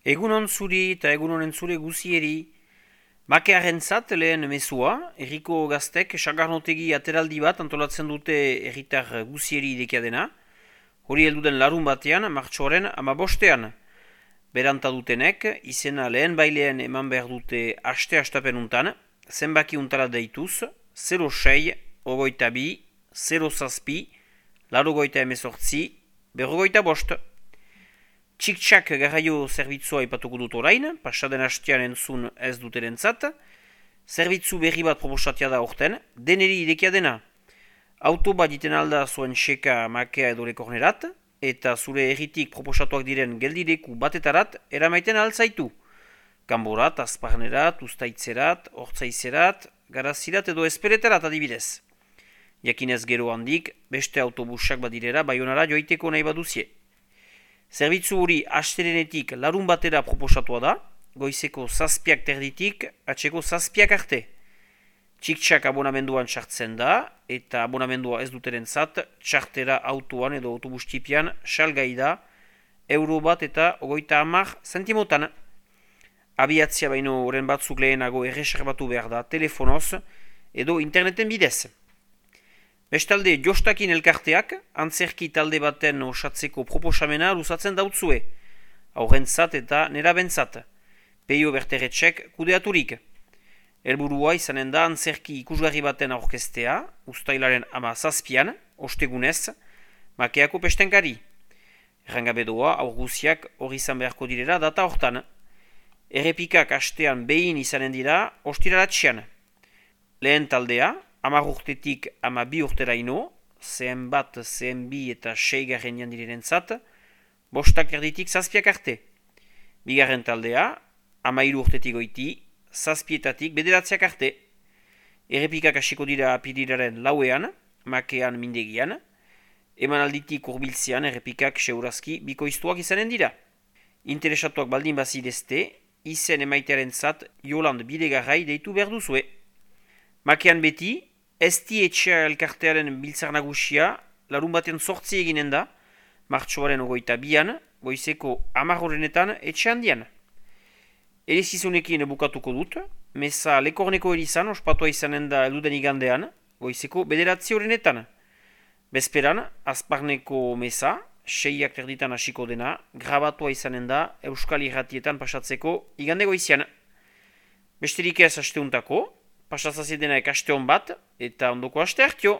Egunon zuri eta egunonen zure guzieri. Makearentzat lehen mezua, herriko gaztek sagarnotegi ateraldi bat antolatzen dute herritar guzieri idekia dena. Hori helduden larun batean, martxoaren 15. Beranta dutenek, izena lehen bailean eman behar dute aste-astapen untan, zenbaki untara deituz, 06, ogoita bi, 0 zazpi, larogoita emezortzi, berrogoita bost. Txik-txak garraio zerbitzua ipatuko dut orain, pasaden hastean entzun ez duterentzat. Zerbitzu berri bat proposatia da orten, deneri idekia dena. Auto bat diten alda zuen seka makea edo lekornerat, eta zure erritik proposatuak diren geldireku batetarat eramaiten altzaitu. Kanborat, azparnerat, ustaitzerat, hortzaizerat, garazirat edo esperetarat adibidez. Jakinez gero handik, beste autobusak badirera Baionara joiteko nahi baduzie. Zerbitzu hori astelenetik larun batera proposatua da, goizeko zazpiak terditik, atseko zazpiak arte. Txik-txak abonamenduan txartzen da, eta abonamendua ez duterentzat, txartera autoan edo autobustipian salgai da, €1 eta 30 zentimotan. Abiatzia baino oren batzuk lehenago erreserbatu behar da telefonoz edo interneten bidez. Bestalde, jostakin elkarteak, antzerki talde baten osatzeko proposamena luzatzen dautzue, aurrentzat eta nerabentzat, peio berteretsek kudeaturik. Helburua izanen da antzerki ikusgarri baten aurkeztea, ustailaren 17an, ostegunez, makeako pestenkari. Errangabedoa, aurguziak hori izan beharko direra data hortan. Errepikak astean behin izanen dira, ostiralatxean. Lehen taldea, 10 urtetik 12 urteraino, zehen bat, zehen bi eta 6 garren direnentzat, 5 erditik zazpiak arte. Bigarren taldea, 13 urtetik goiti, zazpietatik bederatziak arte. Errepikak hasiko dira apirilaren 4ean, makean mindegian, emanalditik hurbiltzean errepikak seurazki bikoiztuak izanen dira. Interesatuak baldin bazidezte, izen emaitearentzat Joland Bidegarrai deitu behar duzue. Makean beti, Esti etxea elkartearen biltzar nagusia, larun batean 8 eginen da, martxoaren 22an, goizeko 10 etxe handian. Erezizunekin bukatuko dut, meza lekorneko erizan ospatua izanen da elduden igandean, goizeko 9 Bezperan, azparneko meza, 6 terditan hasiko dena, grabatua izanen da Euskal Irratietan pasatzeko igande goizian. Besterik ez asteuntako, pasatzazien dena ekaste hon bat, eta ondoko aste hartio.